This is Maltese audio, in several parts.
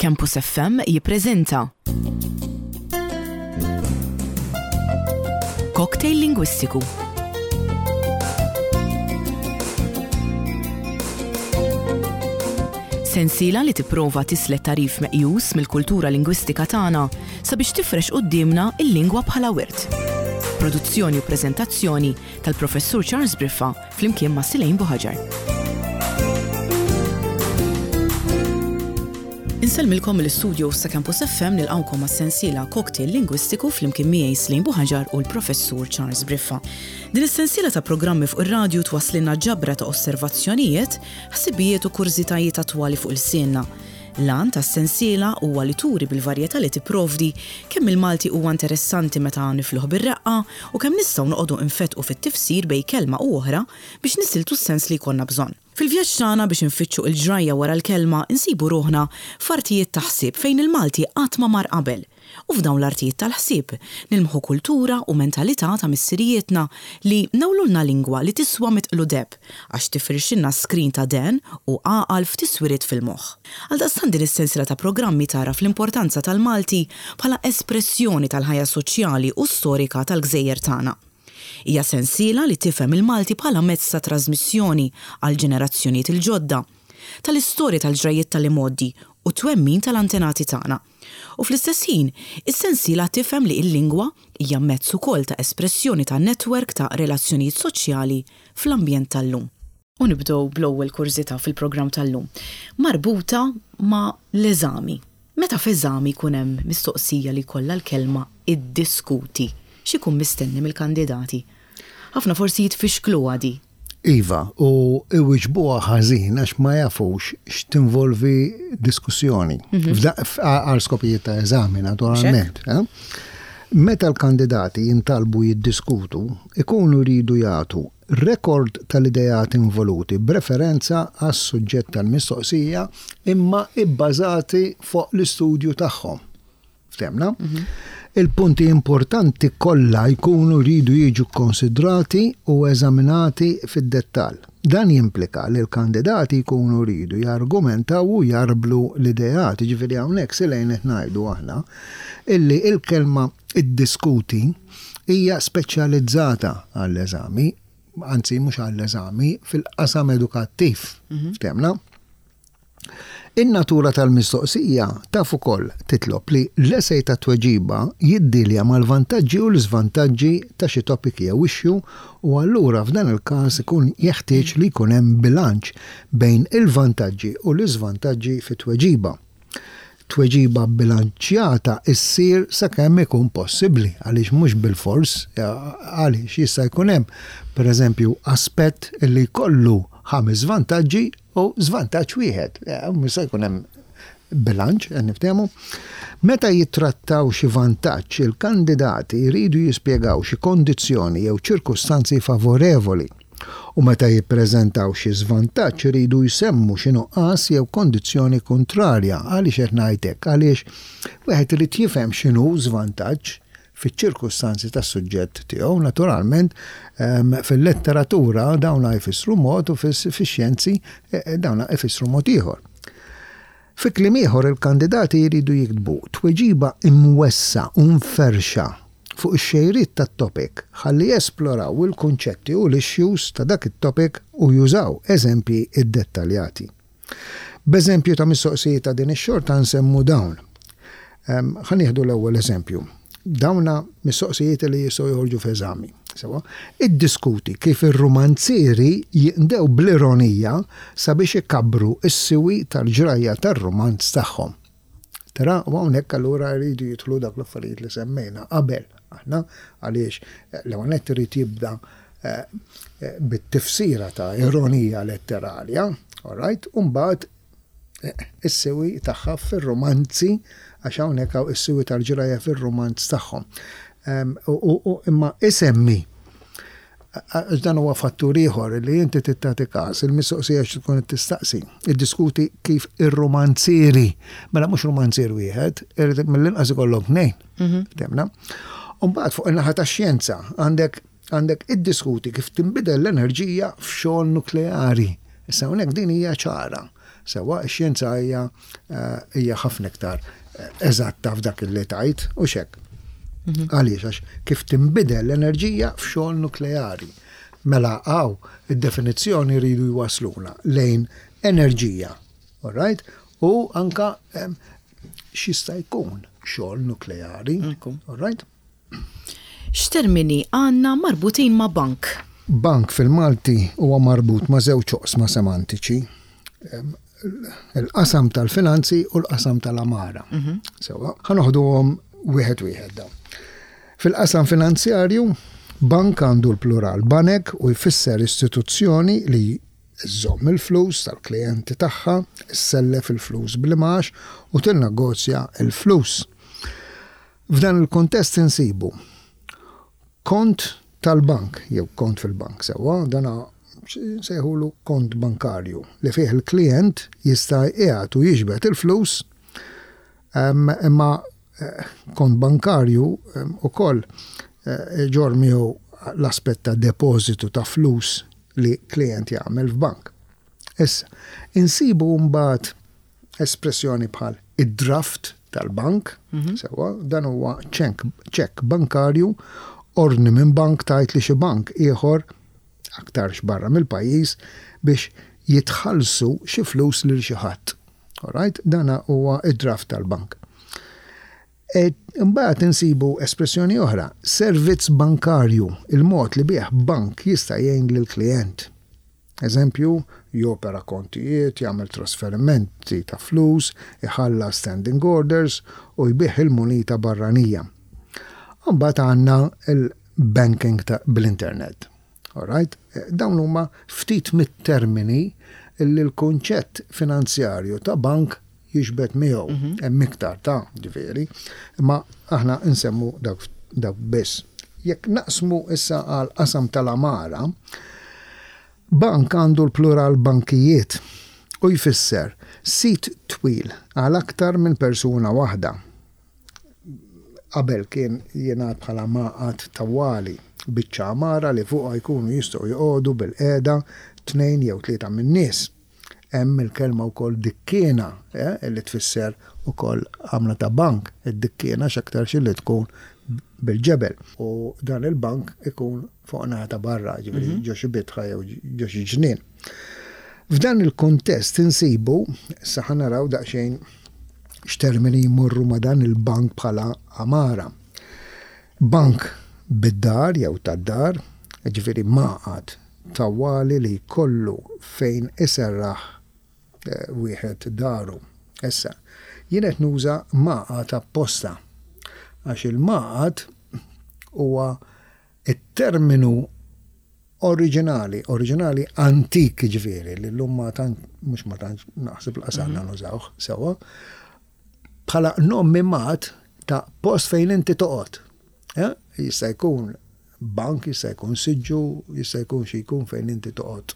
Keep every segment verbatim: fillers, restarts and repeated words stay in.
Campus F M jippreżenta Cocktail Lingwistiku. Sensiela li tipprova tislet tagħrif meqjus mill-kultura lingwistika tagħna sabiex tifrex quddiemna il-lingwa bħala wirt. Produzzjoni u preżentazzjoni tal-Professur Charles Briffa flimkien ma' Silejn Buħaġar. Insellmilkom mill-istudio ta' Campus F M, nilqawkom għas-sensiela Cocktail Lingwistiku flimkien miegħi Slejn Buħaġar u l-Professur Charles Briffa. Din is-sensiela ta' programmi fuq ir-radju twasslilna ġabra ta' osservazzjonijiet, ħsibijiet u kurżitajiet attwali fuq ilsienna. L-għan tas-sensiela huwa li turi bil-varjetà li tipprovdi kemm il-Malti huwa interessanti meta nifluh bir-reqqa u kemm nistgħu noqogħdu infetqu fit-tifsir bejn kelma u oħra biex nisiltu s-sens li jkollna bżonn. Fil-vjaġġ tagħna biex infittxu il-ġrajja wara l-kelma, insibu ruħna f'artijiet ta' ħsieb fejn il-Malti qatt ma mar qabel. U f'dawn l-artijiet tal-ħsieb nilmħu kultura u mentalità ta' missirijietna li newlulna lingwa li tiswa mitqlu deheb għax tifirxilna skrin ta' dehen u għaqal f'tiswiriet fil-moħħ. Għaldaqstant din is-sensiela ta' programmi tara fl-importanza tal-Malti bħala espressjoni tal-ħajja soċjali u storika tal-gżejjer tagħna. Hija sensiela li tifhem il-Malti bħala mezz ta' trasmissjoni għal ġenerazzjonijiet il-ġodda, tal-istorja, tal-ġrajiet tal-imgħoddi u twemmin tal-antenati tagħna. U fl-istess ħin, is-sensiela tifhem li l-lingwa hija mezz ukoll ta' espressjoni ta' netwerk ta' relazzjonijiet soċjali fl-ambjent tal-lum. U nibdew bl-ewwel kurżità fil-programm tal-lum, marbuta ma' l-eżami. Meta f'eżami jkun hemm mistoqsija li jkollha l-kelma "iddiskuti", x'ikun mistenni mill-kandidati? Ħafna forsi jitfixklu għadi. Iva, u iwiġbuha ħażin għax ma jafux x'tinvolvi diskussjoni. Għal skopijiet ta' eżami, naturalment. Eh? Meta l-kandidati jintalbu jiddiskutu, ikunu jridu jagħtu rekord tal-idejat involuti b'referenza għas suġġett tal-mistoqsija imma ibbażati fuq l-istudju tagħhom. Ftemna? Il-punti importanti kollha jkunu jridu jiġu konsidrati u eżaminati fid-dettall. Dan jimplika li l-kandidati jkunu jridu jargumentaw u jarblu l-idejat. Ġifieri hawnhekk silejn qed ngħidu aħna illi il-kelma "iddiskuti" hija speċjalizzata għall-eżami, anzi mhux għall-eżami, fil-qasam edukattiv. Ftemna? In-natura tal-mistoqsija taf ukoll titlob li l-esej ta' tweġiba jiddilja mal-vantaġġi u l-iżvantaġġi ta' xi topic jew issue u allura f'dan il-każ ikun jeħtieġ li jkun hemm bilanċ bejn il-vantaġġi u l-iżvantaġġi fit-tweġiba. Tweġiba bilanċjata issir sakemm ikun possibbli, għaliex mhux bilfors, għaliex jista' jkun hemm, pereżempju, aspett li jkollu ħames vantaġġi u żvantaġġ wieħed. Jista' jkun hemm bilanċ, qed niftehmu. Meta jittrattaw xi vantaġġ, il-kandidati jridu jispjegaw xi kondizzjoni jew ċirkustanzi favorevoli. U meta jippreżentaw xi żvantaġġ, iridu jsemmu xi nuqqas jew kondizzjoni kontrarja. Għaliex qed ngħidlek? Għaliex wieħed irid jifhem x'inhu żvantaġġ fiċ-ċirkustanzi tas-suġġett tiegħu. Naturalment, fil-letteratura dawn jfissru mod u fix-xjenzi eh, dawn jfissru mod ieħor. Fi kliem ieħor, il-kandidati jridu jiktbu tweġiba imwessa u mferxa fuq ix-xejriet tat-topic ħalli jesploraw il-kunċetti u l-issues ta' dak it-topic u jużaw eżempji iddettaljati. B'eżempju ta' mistoqsijiet ta' din ix-xorta nsemmu dawn. Ħa nieħdu l-ewwel eżempju. Dawna mistoqsijiet li jistgħu joħorġu f'eżami. Sewa, iddiskuti kif ir-romanzieri jinqdew bl-ironija sabiex ikabbru s-siwi tal-ġrajja tar-romanz tagħhom. Tara, u hawnhekk allura jridu jidħlu dak l-affarijiet li semmejna qabel aħna, għaliex l-ewwel nett irid jibda eh, eh, bit-tifsira ta' ironija letterarja, all right, u mbagħad eh, is-siwi tagħha fir-romanzi, għax hawnhekk hawn is-siwi tal-ġrajja fir-romanz tagħhom. U imma isemmi, għax dan huwa fattur ieħor li inti tagħti każ il-mistoqsija xi tkun qed tistaqsi. Iddiskuti kif ir-romanzieri, mela mhux romanzier wieħed, irid mill-inqas ikollok tnejn. Ftemna? U mbagħad fuq in-naħa tax-xjenza għandek għandek iddiskuti kif tinbidel l-enerġija f'xogħol nukleari. Issa hawnhekk din hija ċara. Sewwa, ix-xjenza hija eh, hija ħafna iktar eh, eżatta f'dak li tajt u xek. Mhm. Għaliex, għax kif tinbidel l-enerġija f'xogħol nukleari. Mela għaw, id-definizzjoni rridu jwasluna lejn enerġija. All right? U anka x'jista' jkun xogħol nukleari. All right? X'termini għandna marbutin ma' bank? Bank fil-Malti huwa marbut ma' żewġ oqsma semantiċi: il-qasam tal-finanzi u l-qasam tal-għamara. Mhm. Sewwa, ħa noħduhom wieħed wieħed dawn. Fil-qasam finanzjarju, bank għandu l-plural banek u jfisser istituzzjoni li żżomm il-flus tal-klijenti tagħha, issellef il-flus bl-imgħax u tinnegozja il-flus. F'dan il-kontest insibu kont tal-bank, jew kont fil-bank, sewwa, dana sejħulu kont bankarju li fih il-klient jista' jqiegħed u jiġbed il-flus, imma eh, kont bankarju ukoll eh, iġorr miegħu l-aspett ta' depożitu ta' flus li klient jagħmel f'bank. Issa, insibu mbagħad espressjoni bħal id-draft tal-bank, mhm. sewwa, dan huwa ċekk bankarju, ordni minn bank tajt li xi bank ieħor, aktarx barra mill-pajjiż, biex jitħallsu xi flus lil xi ħadd. Alright, dana huwa id-draft tal-bank. E, imbagħad insibu espressjoni oħra, servizz bankarju, il-mod li bih bank jista' jgħin lill-klijent. Eżempju, jopera kontijiet, jagħmel trasferimenti ta' flus, iħallas standing orders u jbigħ il-munita barranija. Mbagħad għandna il-banking bl-internet. Alright? Dawn huma ftit mit-termini li l-kunċett finanzjarju ta' bank jiġbed miegħu. Mhm. Hemm iktar ta' ġifieri, imma aħna nsemmu dak dak biss. Jekk naqsmu issa għal qasam tal-għamara, bank għandu l-plural bankijiet u jfisser sit twil għal aktar minn persuna waħda. Qabel kien jingħad bħala maqgħad tawwali, biċċa għamara li fuqha jkunu jistgħu joqogħdu bil-qiegħda tnejn jew tlieta min-nies. Hemm il-kelma wkoll dikkiena, eh, li tfisser ukoll għamla ta' bank, id-dikkiena x'aktarx li tkun bil-ġebel. U dan il-bank ikun fuq naħa ta' barra, ġifieri mhm. ġo xi bitħa jew ġo xi ġnien. F'dan il-kuntest insibu, issa ħa naraw daqsxejn x'termini jmorru ma' dan il-bank bħala għamara. Bank bid-dar jew tad-dar, ġifieri maqgħad tawwali li jkollu fejn iserraħ eh, wieħed daru. Issa, jien qed nuża maqgħad apposta għax il-maqgħad huwa it-terminu oriġinali, oriġinali antik ġifieri, li llum ma tant, mhux ma tant naħseb l-qasanna mhm. nużawh sewwa, bħala nom mimat ta' post fejn inti toqgħod. Eh? Jista' jkun bank, jista' jkun siġġu, jista' jkun xi jkun fejn inti toqgħod.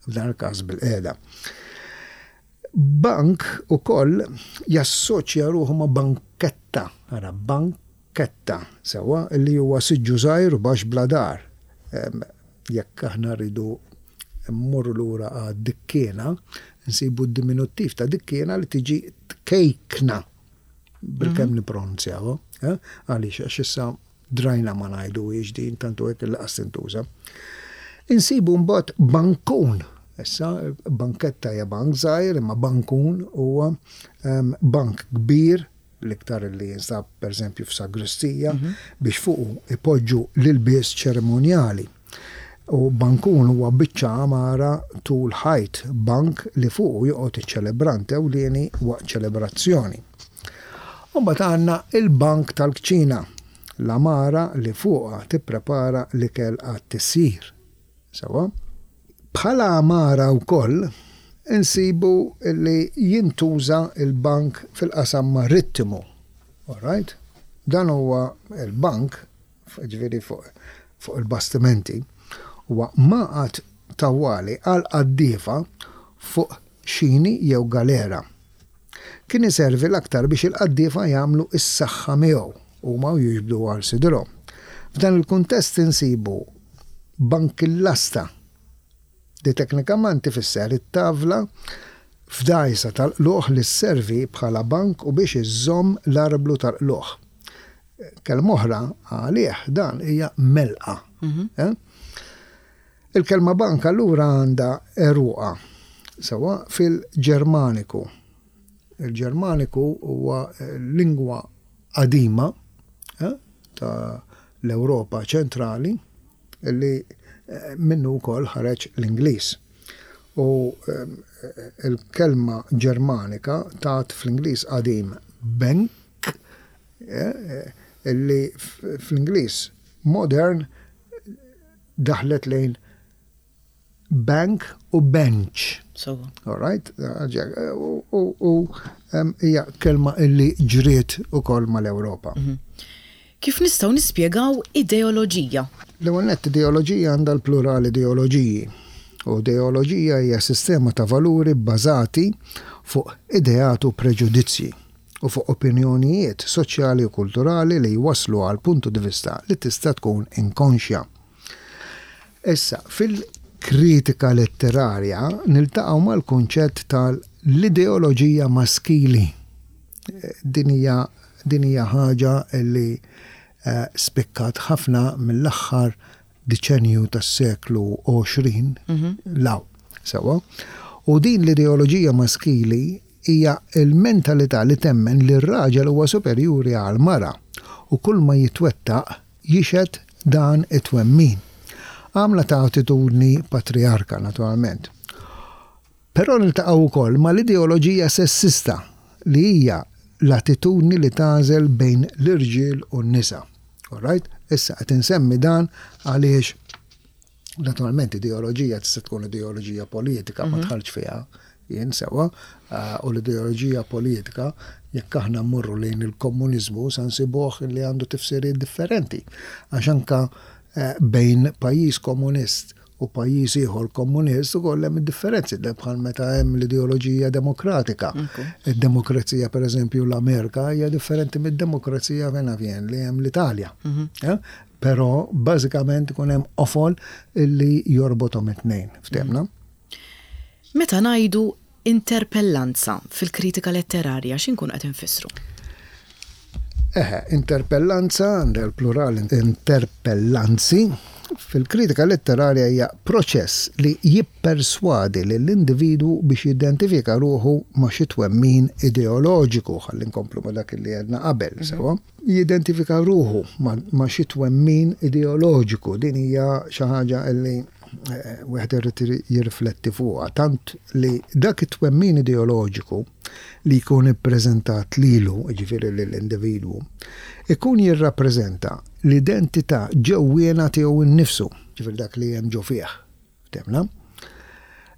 F'dan il-każ bil-qiegħda. Bank ukoll jassoċja ruħu ma' banketta, ara banketta, sewwa, li huwa siġġu żgħir u baxx bla dar. Jekk aħna rridu mmorru lura għad-dikkiena, nsibu d-diminuttiv ta' dikkiena li tiġi tkejkna. Bilkemm mhm. nippronunzjawha, eh? Għaliex għax issa drajna ma ngħiduhiex din tantu hekk li qas tintuża. Insibu mbagħad bankun. Issa banketta hija bank żgħir, imma bankun huwa ehm, bank kbir l-iktar li jinsab pereżempju f'sagristija mhm. biex fuqu ipoġġu l-ilbies ċerimonjali. U bankun huwa biċċa għamara tul ħajt, bank li fuqu joqgħod iċ-ċelebrant ewlieni waqt ċelebrazzjoni. U mbagħad għandna il-bank tal-kċina, l-għamara li fuqha tipprepara l-ikel għat-tisjir. Sewwa? Bħala għamara wkoll insibu li jintuża l-bank fil-qasam marittimu. All right? Dan huwa l-bank ġifieri fuq fuq il-bastimenti, huwa maqgħad tawwali għall-qaddiefa fuq xini jew galera. Kien iservi l-aktar biex il-qaddiefa jagħmlu s-saħħa miegħu huma u jiġbdu għal sidirhom. F'dan il-kuntest insibu bankillasta, li teknikament ifisser it-tavla F'dgħajsa tal-qluħ li sservi bħala bank u biex iżżomm l-arblu tal-qluħ. Kelma oħra għalih dan hija melqa. Eh? Il-kelma bank allura għandha għeruqha sewwa fil-Ġermaniku. Il-Ġermaniku huwa lingwa qadima eh, ta' l-Ewropa ċentrali li eh, minnu wkoll ħareġ l-Ingliż. U eh, il-kelma Ġermanika tat fl-Ingliż qadim bank, eh, illi fl-Ingliż modern daħlet lejn bank u bench. So. All right? U hija kelma illi ġriet ukoll mal-Ewropa. Mhm. Kif nistgħu nispjegaw ideoloġija? L-ewwel nett, ideoloġija għandha l-plural ideoloġiji. U ideoloġija hija sistema ta' valuri bbażati fuq ideat u preġudizzji u fuq opinjonijiet soċjali u kulturali li jwaslu għal puntu di vista li tista' tkun inkonxja. Issa, fil-kritika letterarja niltaqgħu mal-kunċett tal-ideoloġija maskili. Din hija din hija ħaġa li eh, spikkat ħafna mill-aħħar deċenju tas-seklu għoxrin 'l hawn. Sewwa. U din l-ideoloġija maskili hija il-mentalità li temmen li r-raġel huwa superjuri għal mara u kull ma jitwettaq jixhed dan it-twemmin. Għamla ta' attitudni patriarka, naturalment. Però niltaqgħu wkoll mal-ideoloġija sessista, li hija l-attitudni li tagħżel bejn l-irġiel u n-nisa. All right? Issa qed insemmi dan għaliex naturalment ideoloġija tista' tkun ideoloġija politika, ma dħaltx fiha jien, sewwa, u l-ideoloġija politika, jekk aħna mmorru lejn il-komuniżmu, sa nsibuh li għandu tifsiriet differenti. Għax anka eh, bejn pajjiż komunist u pajjiż ieħor komunist ukoll hemm differenzi, bħal meta hemm l-ideoloġija demokratika. Id-demokrazija, pereżempju, l-Amerika hija differenti mid-demokrazija fejn vjen li hemm l-Italja. Eh? Però bażikament ikun hemm qofol illi jorbothom it-tnejn. Ftehmna? Meta ngħidu interpellanza fil-kritika letterarja, x'inkun qed infissru? Eħe, interpellanza, għandha l-plural interpellanzi, fil-kritika letterarja hija proċess li jipperswadi lill-individwu biex jidentifika ruħu ma' xi twemmin ideoloġiku, ħalli nkomplu ma' dak li għedna qabel, sewwa. Jidentifika ruħu ma' xi twemmin ideoloġiku, din hija xi ħaġa li eh, wieħed irid jirrifletti fuqha, tant li dak it-twemmin ideoloġiku li jkun ippreżentat lilu, jiġifieri lill-individwu, ikun jirrappreżenta l-identità ġewwiena tiegħu nnifsu, jiġifieri dak li hemm ġo fih. Ftehmna?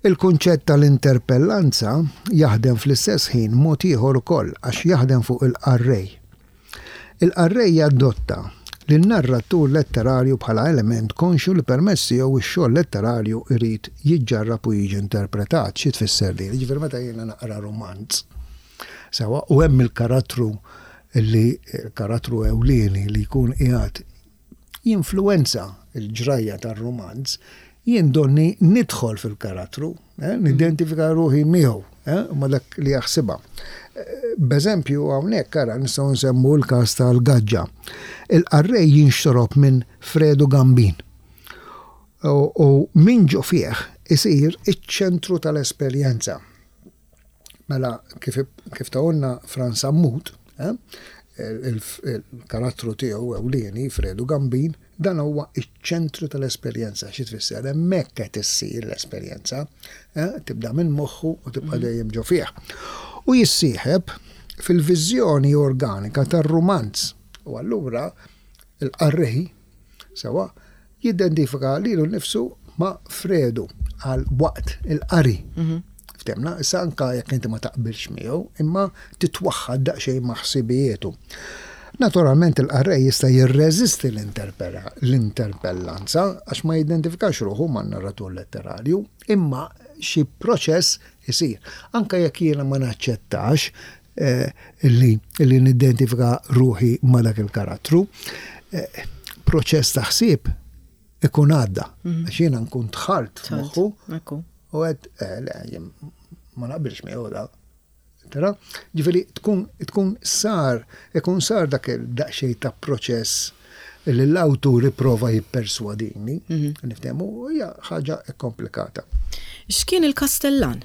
Il-kunċett tal-interpellanza jaħdem fl-istess ħin mod ieħor ukoll, għax jaħdem fuq il-qarrej. Il-qarrej jadotta lin-narratur letterarju bħala element konxju li permezz tiegħu x-xogħol letterarju jrid jiġġarrab u jiġi interpretat. Xi tfisser din? Jiġifieri meta jiena naqra romanz, sewwa, u hemm il-karattru li il-karattru ewlieni li jkun qiegħed jinfluwenza l-ġrajja tar-romanz, jien donni nidħol fil-karattru, eh, nidentifika ruħi miegħu, eh, ma dak li jaħsibha. Eh, b'eżempju, hawnhekk ara nistgħu nsemmu l-każ tal-Gaġġa. Il-qarrej jinxtorob minn Fredu Gambin. U, u min ġo fih isir iċ-ċentru tal-esperjenza. Mela kif, kif tawna Frans Sammut, eh, il-karattru tiegħu ewlieni Fredu Gambin, dan huwa iċ-ċentru tal-esperjenza. Xi tfisser? Hemmhekk qed issir l-esperjenza, eh, tibda minn moħħu u tibqa' mhm. dejjem ġo fih. U jissieħeb fil-viżjoni organika tar-rumanz. U allura il-qarrej sewwa jidentifika lilu nnifsu ma' Fredu għal waqt il-qari. Mhm. Ftehmna, issa anka jekk inti ma taqbilx miegħu, imma titwaħħad daqsxejn ma' ħsibijietu. Naturalment il-qarrej jista' jirreżisti l-interpellanza għax ma jidentifikax ruħu man narratur letterarju, imma xi proċess isir. Anka jekk jiena ma naċċettax eh, li, li nidentifika ruħi ma dak il-karattru, eh, proċess ta' ħsieb ikun għadda. Mhm. Għax jiena nkun dħalt moħħu u għedt, eh, le, Ma naqbilx miegħu da. Tara? Ġifieri tkun tkun sar, ikun sar dak il-daqsxejn ta' proċess li l-awtur ipprova jipperswadini, niftehmu, hija ħaġa komplikata. X'kien il-Kastellan?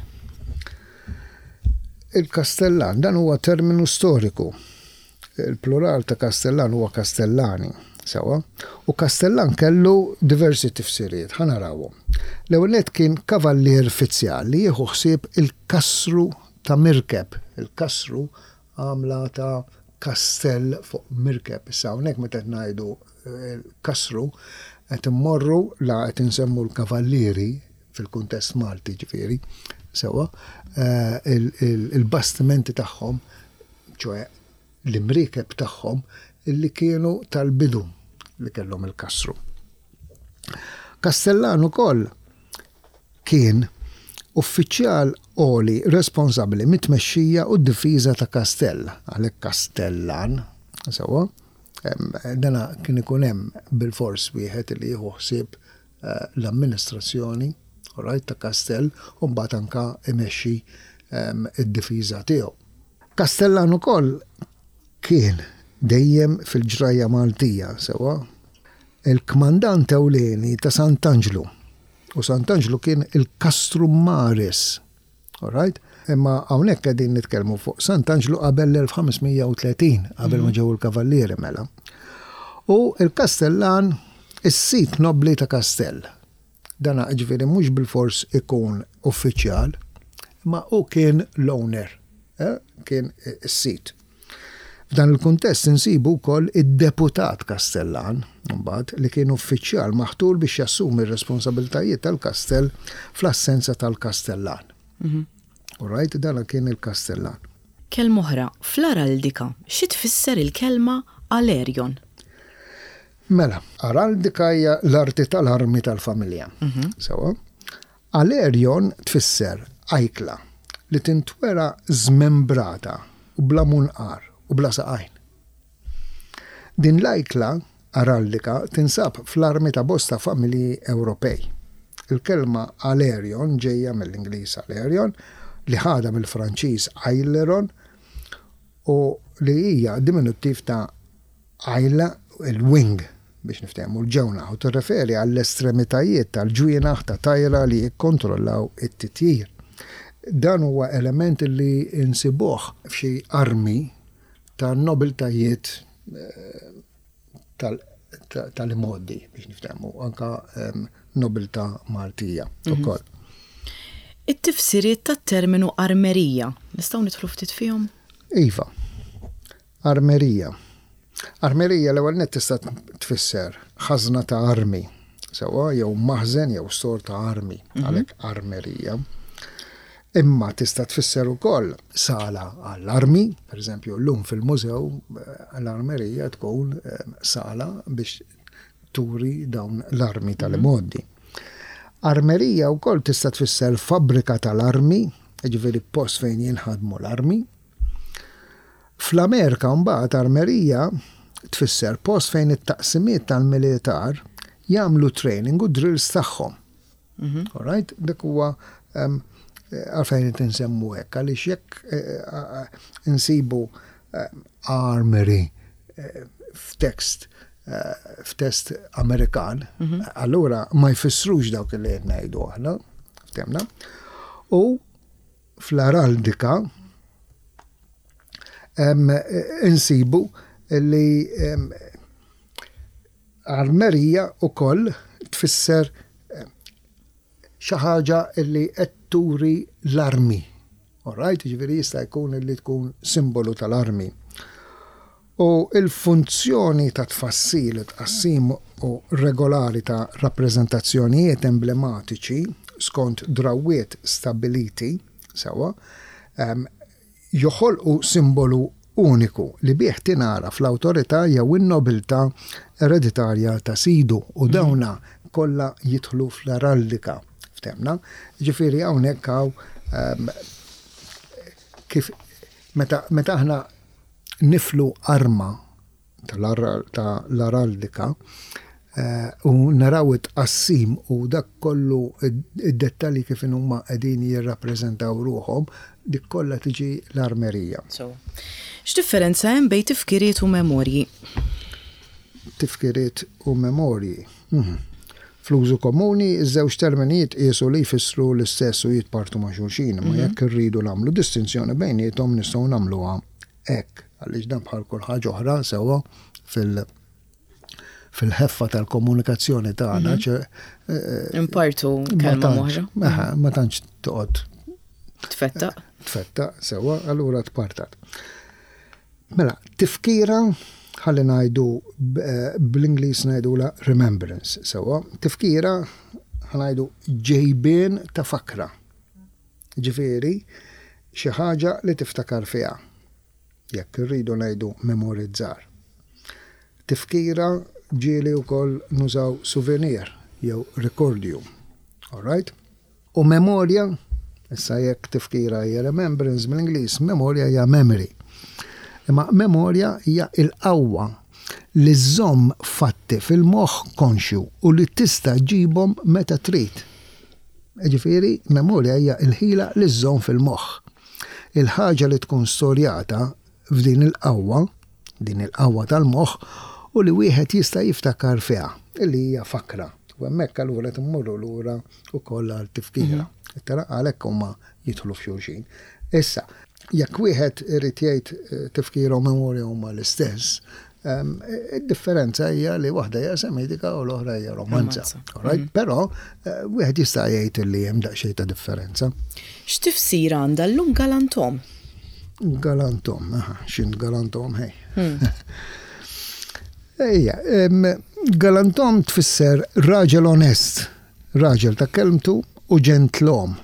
Il-Kastellan, dan huwa terminu storiku. Il-plural ta' Kastellan huwa Kastellani, sewwa. U Kastellan kellu diversi tifsiriet, ħa narawhom. L-ewwel nett kien kavallier fizzjal li jieħu ħsieb il-kasru ta' mirkeb. Il-kasru għamla ta' kastell fuq mirkeb. Issa hawnhekk meta qed ngħidu eh, kasru qed immorru la qed insemmu l-kavallieri fil-kuntest Malti ġifieri, sewwa, eh, il- il- il-bastimenti tagħhom, ċoè l-imriekeb tagħhom illi kienu tal-bidu li kellhom il-kasru. Kastellan ukoll kien uffiċjal għoli responsabbli mit-tmexxija u d-difiża ta' kastell, għalhekk Kastellan, sewwa, em, dana kien ikun hemm bil-fors wieħed li jieħu ħsieb eh, l-amministrazzjoni, alright, ta' kastell u mbagħad anka imexxi em, id-difiża tiegħu. Kastellan ukoll kien dejjem fil-ġrajja Maltija, sewwa, il-kmandant ewlieni ta' Sant'Anġlu. U Sant'Anġlu kien il-Castrum Maris. Alright? Imma hawnhekk qegħdin nitkellmu fuq Sant'Anġlu qabel l-elf ħames mija u tletin, qabel ma ġew il-kavallieri mela. U il-Kastellan is-sit nobli ta' kastell. Dana ġifieri mhux bil-fors ikun uffiċjal, ma u kien l-owner, eh? Kien is-sit. F'dan il-kuntest insibu wkoll id-deputat Kastellan, mbagħad li kien uffiċjal maħtur biex jassumi r-responsabiltajiet tal-kastell fl-assenza tal-Kastellan. Alright, dan kien il-Kastellan. Kelma oħra, fl-araldika, xi tfisser il-kelma alerjon? Mela, araldika hija l-arti tal-armi tal-familja. Sewwa. Alerjon tfisser ajkla li tintwera żmembrata u bla munqar u bla saqajn. Din l-ajkla araldika tinsab fl-armi ta' bosta familji Ewropej. Il-kelma alerjon ġejja mill-Ingliż aileron, li ħada mill-Franċiż aileron u li hija diminuttiv ta' aile, il-wing, biex niftehmu l-ġewnaħ, u tirreferi għall-estremitajiet tal-ġwienaħ ta' tajra li jikkontrollaw it-titjir. Dan huwa element li insibuh f'xi armi ta' nobiltajiet eh, tal-imgħoddi, biex niftehmu, anka nobilta Maltija ukoll. It-tifsiriet tat-terminu armerija, nistgħu nidħlu ftit fihom? Iva, armerija. Armerija l-ewwel nett tista' tfisser ħażna ta' armi, sewwa, jew maħżen jew stor ta' armi, għalhekk armerija. Imma tista' tfisser ukoll sala għall-armi, per eżempju llum fil-mużew eh, l-armerija tkun eh, sala biex turi dawn l-armi tal-imgħoddi. Armerija wkoll tista' tfisser fabbrika tal-armi, ġifieri post fejn jinħadmu l-armi. Fl-Amerika mbagħad armerija tfisser post fejn it-taqsimiet tal-militar jagħmlu training u drills tagħhom. All right? Dak huwa em, għalfejn qed insemmu hekk, għaliex jekk eh, eh, insibu eh, armory eh, f'tekst eh, f'test Amerikan, allura ma jfissrux dawk li qed ngħidu aħna, ftehmna. U fl-araldika em, insibu li em, armerija ukoll tfisser em, xi ħaġa li qed turi l-armi. Alright, ġifieri jista' jkun li tkun simbolu tal-armi. U il-funzjoni ta' tfassil, tqassim u regolari ta' rappreżentazzjonijiet emblematiċi skont drawiet stabiliti, sewwa, em, joħolqu simbolu uniku li bih tingħaraf l-awtorità jew in-nobiltà ereditarja ta' sidu, u dawna kollha jidħlu fl-araldika. Ftehmna? Ġifieri hawnhekk hawn em, kif meta meta aħna niflu arma tal-araldika, eh, u naraw it-tqassim u dak kollu id-dettalji kif huma qegħdin jirrappreżentaw ruħhom, dik kollha tiġi l-armerija. So, x'differenza hemm bejn tifkiriet u memorji? Tifkiriet u memorji. Mhm. Fl-użu komuni, iż-żewġ termini jitqiesu li jfissru l-istess u jitpartu ma' xulxin, ma jekk irridu nagħmlu distinzjoni bejniethom, nistgħu nagħmluha hekk, għaliex dan bħal kull ħaġa oħra, sewwa, fil- fil-ħeffa tal-komunikazzjoni tagħna, ċe- eh, Impartu ma kelma tantx- oħra. Aha, ma tantx toqgħod Tfettaq. Tfetta, sewwa, allura tpartat. Mela, tifkira, ħalli ngħidu b- eh, bl-Ingliż ngħidula remembrance, sewwa. Tifkira, ħa ngħidu ġejbien ta' fakra. Ġifieri, xi ħaġa li tiftakar fiha. Jekk irridu ngħidu memorizzar. Tifkira ġieli wkoll nużaw souvenir jew ricordium. All right? U memorja, issa jekk tifkira hija remembrance mill-Ingliż, memorja hija memory. Imma memorja hija il-qawwa li żżomm fatti fil-moħħ konxju u li tista' ġibhom meta trid. Ġifieri, memorja hija il-ħila li żżomm fil-moħħ. Il-ħaġa li tkun storjata f'din il-qawwa, din il-qawwa tal-moħħ, u li wieħed jista' jiftakar fiha, illi hija fakra. U hemmhekk allura timmorru lura wkoll għal tifkira. Tara, għalhekk huma jidħlu f'xulxin. Issa, jekk wieħed irid jgħid eh, tifkira u memorja huma l-istess, em, id-differenza hija li waħda hija Semitika u l-oħra hija Romanza. Romanza. Alright? Però eh, wieħed jista' jgħid li hemm daqsxejn ta' differenza. X'tifsira għandha llum galantom? Galantom, aha, xin galantom, hej. Ejja, em, galantom tfisser raġel onest, raġel ta' kelmtu u ġentlom.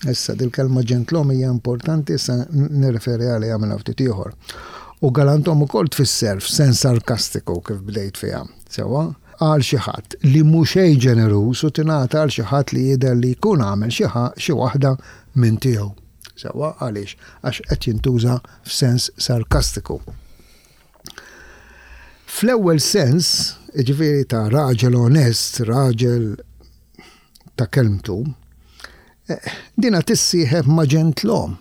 Issa, dil-kelma ġentlom hija importanti, issa nirreferi għaliha minn ftit ieħor. U galantom ukoll tfisser f'sens sarkastiku, kif bdejt fiha. Sewwa, għal xi ħadd li mhux xejn ġeneruż u tingħata għal xi ħadd li jidher li jkun għamel xi ħa- xi waħda minn tiegħu. Sewwa, għaliex? Għax qed jintuża f'sens sarkastiku. Fl-ewwel sens, ġifieri ta' raġel onest, raġel ta' kelmtu, eh, dina tissieħeb ma' ġentlom.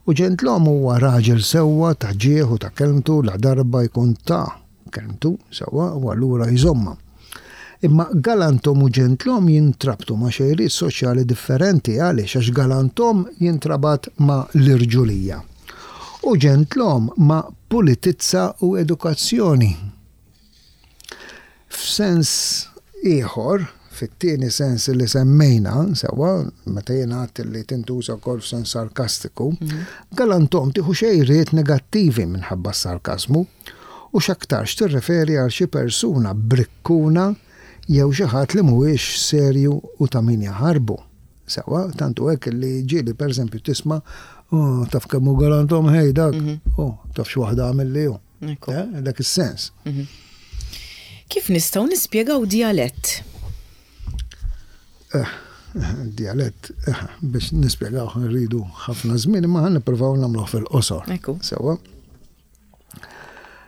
U ġentlom huwa raġel sewwa, ta' ġieħ u ta' kelmtu, la darba jkun ta' kelmtu sewwa u allura jżomma. Imma galantom u ġentlom jintrabtu ma' xejriet soċjali differenti. Għaliex? Għax galantom jintrabat ma' l-irġulija. U ġentlom ma' pulitizza u edukazzjoni. F'sens ieħor, fit-tieni sens li semmejna, sewwa, meta jiena għedt li tintuża wkoll f'sens sarkastiku, galantom tieħu xejriet negattivi minħabba s-sarkasmu u x'aktarx tirreferi għal xi persuna brikkuna jew xi ħadd li mhuwiex serju u ta' min jaħarbu. Sewwa, tantu hekk li ġieli, pereżempju, tisma': "Oh, taf kemm hu galantom, ħej, dak, oh, taf x'waħda għamel li hu." Ekku. Eh, dak is-sens. Kif nistgħu nispjegaw dialett? Eh, dialett, eh, biex nispjegaw nridu ħafna żmien, imma ħa nippruvaw nagħmluh fil-qosor. Ekku. Sewwa.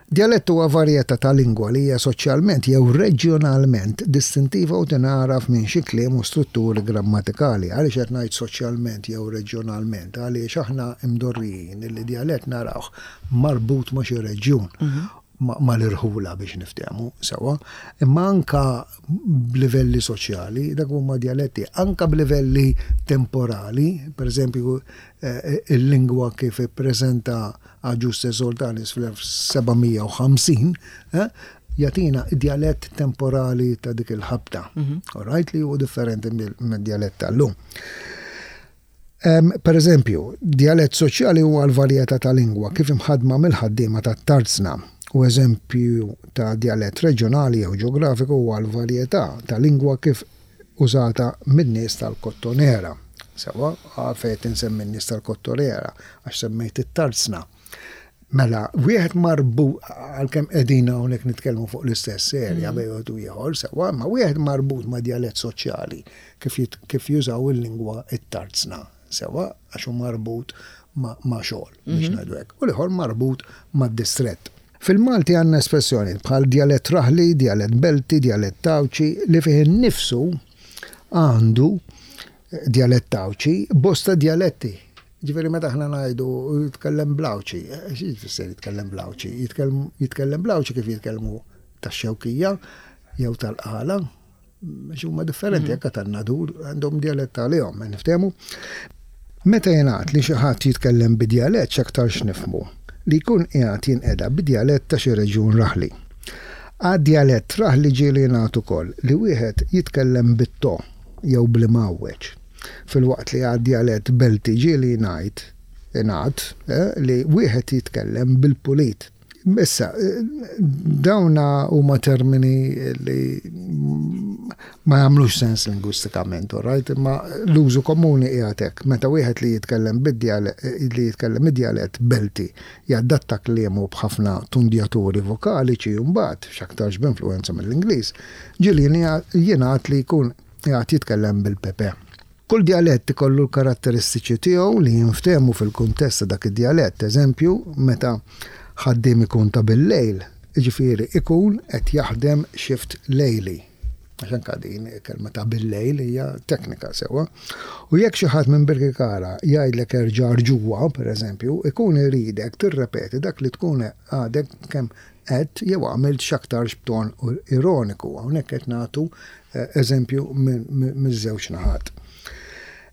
Dialett huwa varjetà ta' lingwa li hija soċjalment jew reġjonalment distintiva u tingħaraf minn xi kliem u strutturi grammatikali. Għaliex qed ngħid soċjalment jew reġjonalment? Għaliex aħna imdorrijin li dialett narawh marbut ma' xi reġjun, ma' l-irħula, biex niftehmu sewwa, imma anka b'livelli soċjali, dak huma dialetti, anka b'livelli temporali, per eżempju, eh, il-lingwa kif ippreżenta Agius de Soldanis fl-elf seba' mija u ħamsin, eh, jagħtina dialett temporali ta' dik il-ħabta. All right, li huwa differenti mid-dialett tal-lum. Um, per eżempju, dialett soċjali huwa l-varjetà ta' lingwa kif imħadma mill-ħaddiema tat-tarzna, u eżempju ta' dialett reġjonali jew ġeografiku huwa l-varjetà ta' lingwa kif użata min-nies tal-Kottonera. Sewwa, għalfejn insemmi n-nies tal-Kottonera? Għax semmejt it-tarzna. Mela, wieħed marbut, għalkemm qegħdin hawnhekk nitkellmu fuq l-istess serja bejn wieħed u ieħor, sewwa, ma wieħed marbut ma' dialett soċjali kif, jit- kif jużaw il-lingwa it-tarzna, sewwa, għax hu marbut ma', ma xogħol, biex ngħidu hekk. U l-ieħor marbut ma' distrett. Fil-Malti għandna espressjoni bħal djalett raħli, djalett belti, djalett Għawdxi, li fih innifsu għandu djalett Għawdxi bosta djaletti. Ġifieri meta aħna ngħidu jitkellem bl-Għawdxi, xi jfisser jitkellem bl-Għawdxi? Jitkellem bl-Għawdxi kif jitkellmu tax-Xewkija jew tal-Qala, huma differenti, anke tan-Nadur għandhom djalett għalihom, niftehmu. Meta jingħad li xi ħadd jitkellem bidjalett, x'aktarx nifhmu li jkun qiegħed jinqeda bidjalett ta' xi reġjun raħli. Għad-djalett raħli ġieli jingħad ukoll li wieħed jitkellem bit-to jew bl-imgħawweġ. Filwaqt li għad-djalett belti ġieli ngħid ingħad li wieħed jitkellem bil-pulit. Issa, dawna huma termini li ma jagħmlux sens lingwistikament, right? Imma l-użu komuni qiegħed hekk. Meta wieħed li jitkellem bid-djalett, li jitkellem id-djalett belti jadatta kliemu b'ħafna tundjaturi vokaliċi u mbagħad x'aktarx b'influwenza mill-Ingliż, ġieli jingħad li jkun qiegħed jitkellem bil-pepe. Kull djalett ikollu l-karatteristiċi tiegħu li jinftehmu fil-kuntest ta' dak id-djalett. Eżempju, meta ħaddiem ikun ta' bil-lejl, jiġifieri ikun qed jaħdem shift lejli. Għax anke din kelma ta' bil-lejl hija teknika sewwa. U jekk xi ħadd minn Birkirkara jgħidlek erġa' ġewwa, pereżempju, ikun iridek tirrepeti dak li tkun għadek kemm qed jew għamilt x'aktarx b'ton ironiku. Hawnhekk qed nagħtu eżempju miż-żewġ naħat.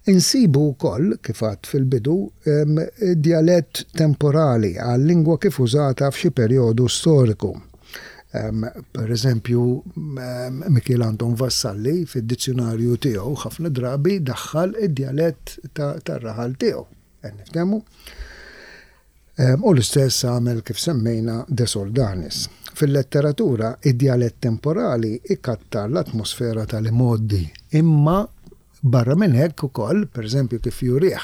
Insibu wkoll, kif għadt fil-bidu, djalett temporali għal-lingwa kif użata f'xi perjodu storiku. Per eżempju, Mikiel Anton Vassalli fid-dizzjonarju tiegħu ħafna drabi daħħal id-djalett tar-raħal tiegħu. Niftehmu? U l-istess għamel kif semmejna De Soldanis. Fil-letteratura, id-djalett temporali ikattar l-atmosfera tal-imgħoddi, imma barra minn hekk ukoll, pereżempju kif jurih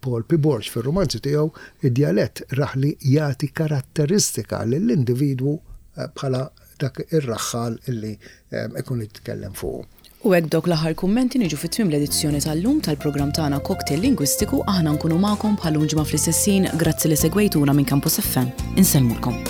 Paul P. Borg fir-romanzi tiegħu, id-djalett raħli jagħti karatteristika lill-individwu bħala dak ir-raħħal illi ikun jitkellem fuq. U hekk dawk l-aħħar kummenti niġu fit-tmiem l-edizzjoni tal-lum tal-programm tagħna Cocktail Lingwistiku. Aħna nkunu magħkom bħal ġimgħa fl-istess ħin. Grazzi li segwejtuna minn Campus F M. Insellmulkom.